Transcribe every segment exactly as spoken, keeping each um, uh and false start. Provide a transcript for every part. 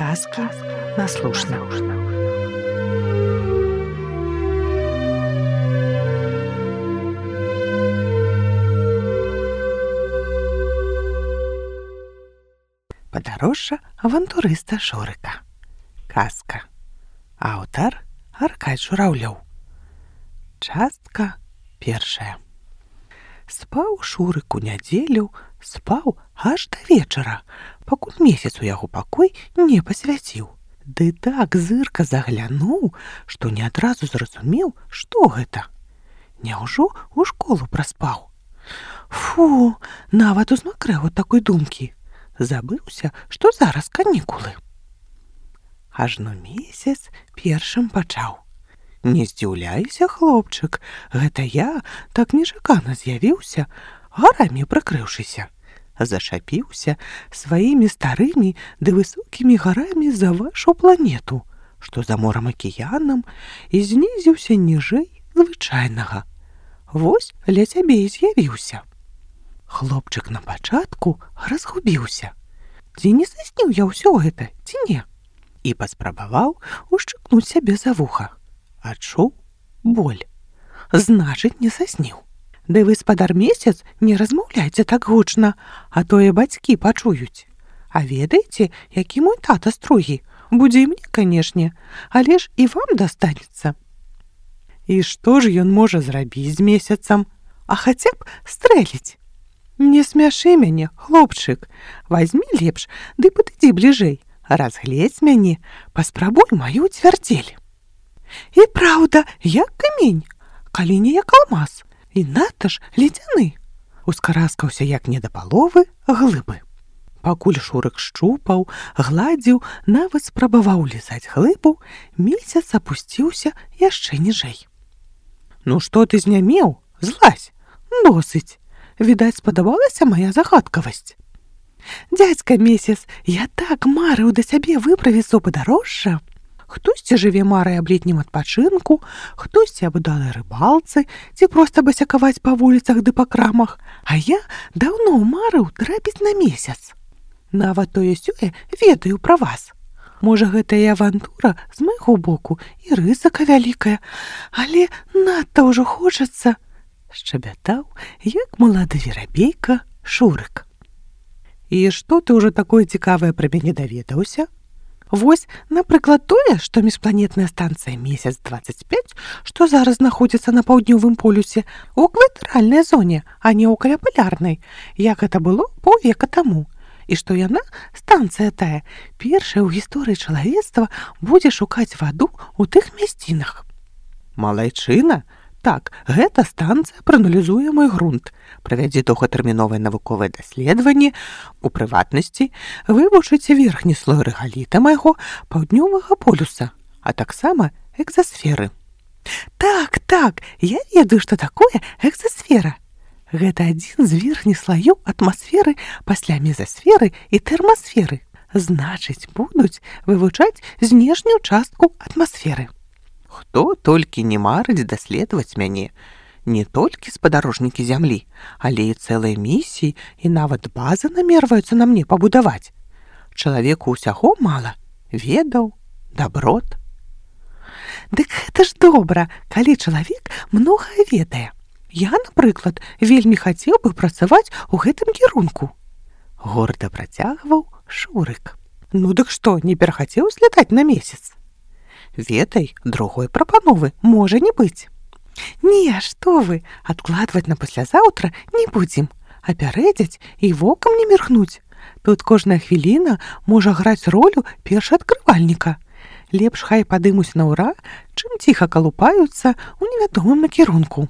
Казки на слушна. Падарожжа авантурыста Шурыка. Казка. Аўтар Аркадзь Жураўлёў. Частка першая. Спаў Шурык у нядзелю, спаў аж да вечара, пакуль месяц у яго пакой не пасвяціў. Ды так зырка заглянуў, што не адразу зразумеў, што гэта. Няўжо ў школу праспаў? Фу, нават узмакрэў ад такой думкі. Забыўся, што зараз канікулы. Ажно месяц першым пачаў. Не здзіўляйся, хлопчык, гэта я так нечакана з'явіўся, гарамі прыкрыўшыся. Зашапіўся сваімі старымі ды высокімі гарамі за вашу планету, што за морам акіянам, і знізіўся ніжэй звычайнага. Вось ля цябе і з'явіўся. Хлопчык на пачатку разгубіўся. Ці не засніў я ўсё гэта, ці не? І паспрабаваў ушчыкнуць сябе за вуха. Адчуў боль. Значыць, не засніў. Ды вы, спадар месяц, не размаўляйце так гучна, а тое бацькі пачуюць. А ведаеце, які мой тата строгі? Будзе і мне, канешне, але ж і вам дастанецца. І што ж ён можа зрабіць з месяцам? А хаця б стрэліць. Не смяшы мяне, хлопчык. Вазьмі лепш, ды падыдзі бліжэй. Разгледзь мяне, паспрабуй маю цвярдзель. І праўда, як камень, калі не як алмаз, і надта ж ледзяны. Ускараскаўся як не да паловы глыбы. Пакуль Шурык шчупаў, гладзіў, нават спрабаваў лізаць глыбу, месяц апусціўся яшчэ ніжэй. Ну што ты знямеў? Злазь, досыць. Відаць, спадабалася мая загадкавасць. Дзядзька месяц, я так марыў да сябе выправіць у падарожжа. Хтосьці жыве марай аб летнім адпачынку, хтосьці аб удалай рыбалцы, ці проста басякаваць па вуліцах ды па крамах, а я даўно марыў трапіць на месяц. Нават тое-сёе ведаю пра вас. Можа, гэта і авантура з майго боку, і рызыка вялікая, але надта ўжо хочацца, шчабятаў, як малады верабейка Шурык. І што ты ўжо такое цікавае пра мяне даведаўся? Вось, напрыклад, тое, што міжпланетная станцыя месяц дваццаць пяць, што зараз знаходзіцца на паўднёвым полюсе, у экватарыяльнай зоне, а не ў каляпалярнай, як гэта было паўвека таму. І што яна, станцыя тая, першая ў гісторыі чалавецтва будзе шукаць ваду ў тых мясцінах. Малайчына? Так, гэта станцыя прааналізуе мой грунт, правядзе доўгатэрміновае навуковае даследаванне, у прыватнасці вывучыць верхні слой рэгаліта майго паўднёвага полюса, а таксама экзасферы. Так, так, я ведаю, што такое экзасфера. Гэта адзін з верхніх слаёў атмасферы пасля мезасферы і тэрмасферы. Значыць, будуць вывучаць знешнюю частку атмасферы. Хто толькі не марыць даследаваць мяне, не толькі спадарожнікі зямлі, але і цэлыя місіі і нават базы намерваюцца на мне пабудаваць. Чалавеку ўсяго мала, ведаў, даброт. Дык гэта ж добра, калі чалавек многае ведае. Я, напрыклад, вельмі хацеў бы працаваць у гэтым кірунку. Горда працягваў Шурык. Ну дык што, не перахацеў злятаць на месяц? Ведай, другой прапановы можа не быць. Не, што вы, адкладваць на паслязаўтра не будзем, а пярэдзяць і вокам не міргнуць. Тут кожная хвіліна можа граць ролю першаадкрывальніка. Лепш хай падымуць на ўра, чым ціха калупаюцца ў невядомым накірунку.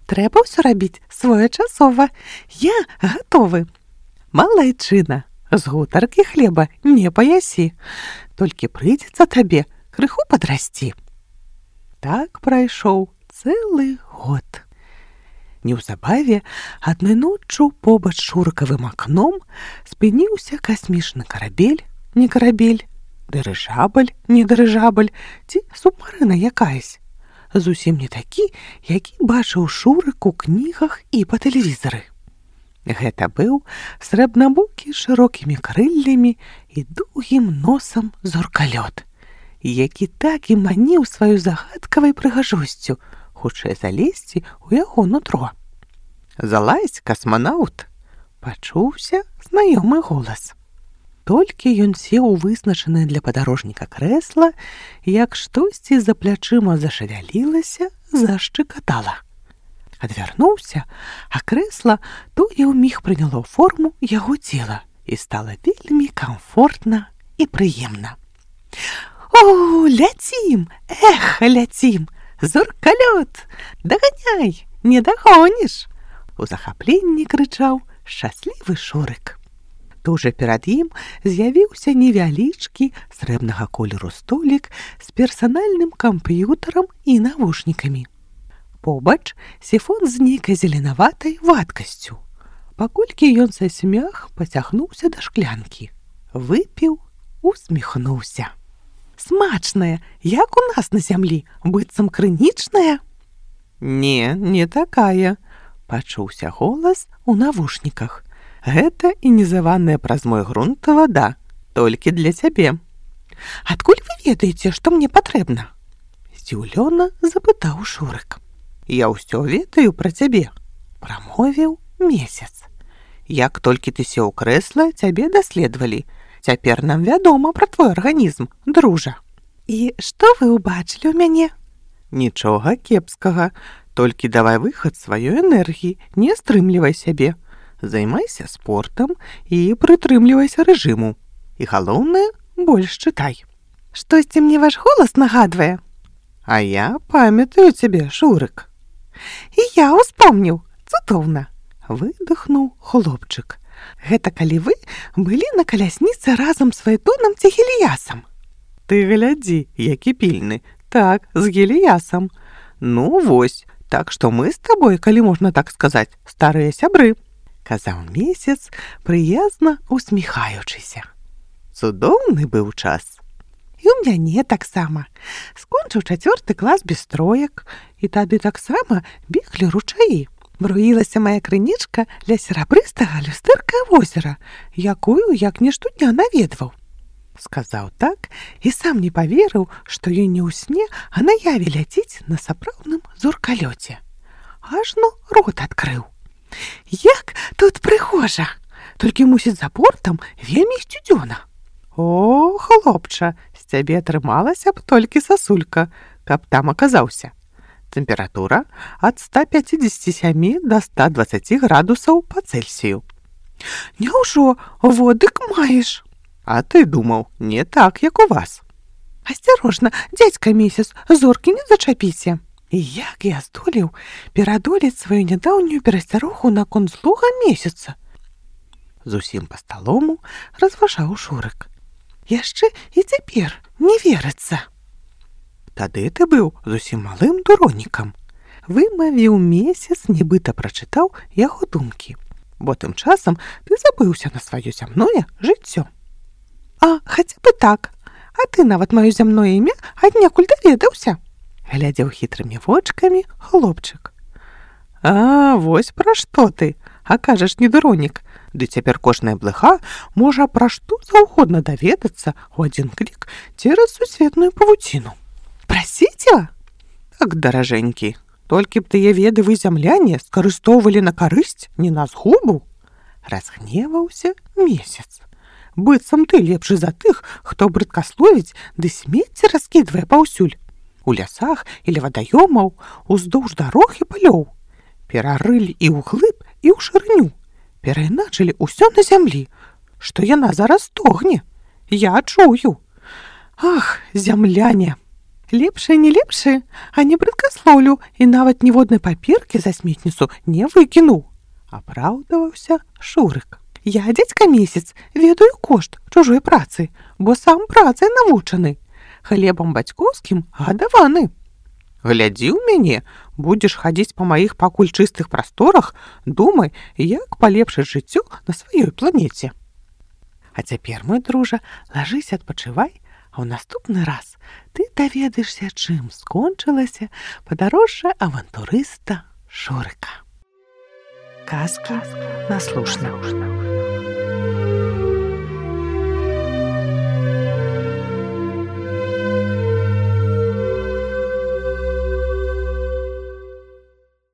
Трэба ўсё рабіць своечасова. Я гатовы. Малайчына, з гутаркі хлеба не паясі. Толькі прыйдзецца табе крыху падрасці. Так прайшоў цэлы год. Неўзабаве адной ноччу побач з Шурыкавым акном спыніўся касмічны карабель, не карабель, дырыжабль, не дырыжабль, ці субмарына якаясь. Зусім не такі, які бачыў Шурык у кнігах і па тэлевізары. Гэта быў срэбнабокі з шырокімі крыллямі і доўгім носам зоркалёт, які так і маніў сваю загадкавай прыгажосцю, хутчэй залезці ў яго нутро. «Залазь, касманаўт!» – пачуўся знаёмы голас. Толькі ён сеў у вызначанае для падарожніка крэсла, як штосьці за плячыма зашавялілася, зашчыкатала. Адвярнуўся, а крэсла тое ўміг прыняло форму яго цела і стала вельмі камфортна і прыемна. «О, ляцім! Эх, ляцім! Зоркалёт! Даганяй! Не дагоніш!» У захапленні крычаў шчаслівы Шурык. Тужа перад ім з'явіўся невялічкі срэбнага колеру столік з персанальным камп'ютарам і навушнікамі. Побач сіфон з нейкай зеленаватай вадкасцю. Паколькі ён сасмях пацягнуўся да шклянкі. Выпіў, усміхнуўся. «Смачная, як у нас на зямлі, быццам крынічная?» «Не, не такая», – пачуўся голас у навушніках. «Гэта інізаваная праз мой грунт вада, толькі для цябе». «Адкуль вы ведаеце, што мне патрэбна?» – здзіўлёна запытаў Шурык. «Я ўсё ведаю пра цябе», – прамовіў Месяц. «Як толькі ты сеў у крэсла, цябе даследавалі. Цяпер нам вядома пра твой арганізм, дружа». «І што вы ўбачылі ў мяне?» «Нічога кепскага, толькі давай выхад сваёй энергіі, не стрымлівай сябе. Займайся спортам і прытрымлівайся рэжыму. І галоўнае, больш чытай». «Штосьці мне ваш голас нагадвае?» «А я памятаю цябе, Шурык». «І я ўспомніў, цудоўна», – выдохнуў хлопчык. «Гэта калі вы былі на калясніцы разам з Фаэтонам ці Геліясам?» «Ты глядзі, які пільны. Так, з Геліясам. Ну, вось, так што мы з табой, калі можна так сказаць, старыя сябры», – казаў Месяц, прыязна усміхаючыся. «Цудоўны быў час». «І ў мяне таксама. Скончыў чацвёрты клас без троек, і тады таксама беглі ручаі. Бруілася мая крынічка ля серабрыстага люстэрка возера, якую як не штодня наведваў». Сказаў так і сам не паверыў, што ён не ў сне, а наяве ляціць на сапраўдным зоркалёце. Ажно рот адкрыў. «Як тут прыгожа! Толькі, мусіць, за бортам вельмі сцюдзёна». «О, хлопча, з цябе атрымалася б толькі сасулька, каб там аказаўся. Тэмпература ад ста пяцідзесяці сямі да ста дваццаці градусаў па Цельсію». «Няўжо, водык маеш?» «А ты думаў, не так, як у вас». «Асцярожна, дзядзька Месяц, зоркі не зачапіце». І як я здолеў перадолець сваю нядаўнюю перасцярогу наконт злога Месяца? Зусім па-сталому разважаў Шурык. «Яшчэ і цяпер не верыцца». «Тады ты быў зусім малым дуронікам», – вымавіў Месяц, нібыта прачытаў яго думкі. «Бо тым часам ты забыўся на сваё зямное жыццё». «А, хаця бы так. А ты нават маё зямное імя аднекуль даведаўся», – глядзеў хітрымі вочкамі хлопчык. «А, вось пра што ты, а кажаш, не дуронік. Ды цяпер кожная блыха можа пра што заўгодна даведацца ў адзін клік цераз сусветную павуціну». «Прасіцела?» «Так, даражэнькі, толькі б тыя веды вы, зямляне, скарыстоўвалі на карысць, не на згубу». Разгневаўся Месяц. «Быццам ты лепшы за тых, хто брыдкасловіць ды смецце раскідвае паўсюль. У лясах или вадаёмаў, уздоўж дарог і палёў. Перарылі і ўглыб, і ў шырыню. Перайначылі ўсё на зямлі, што яна зараз стогне. Я чую. Ах, зямляне! Лепшае не лепшае, а не брыдкаслоўлю і нават ніводнай паперкі за сметніцу не выкінуў», – апраўдаваўся Шурык. «Я, дзядзька Месяц, ведаю кошт чужой працы, бо сам працай навучаны. Хлебам бацькоўскім гадаваны. Глядзі ў мяне, будзеш хадзіць па маіх пакуль чыстых прасторах, думай, як палепшыць жыццё на сваёй планеце. А цяпер, мой дружа, лажыся, адпачывай, а ў наступны раз ты даведаешся, чым скончылася падарожжа авантурыста Шурыка». Казка наслушна.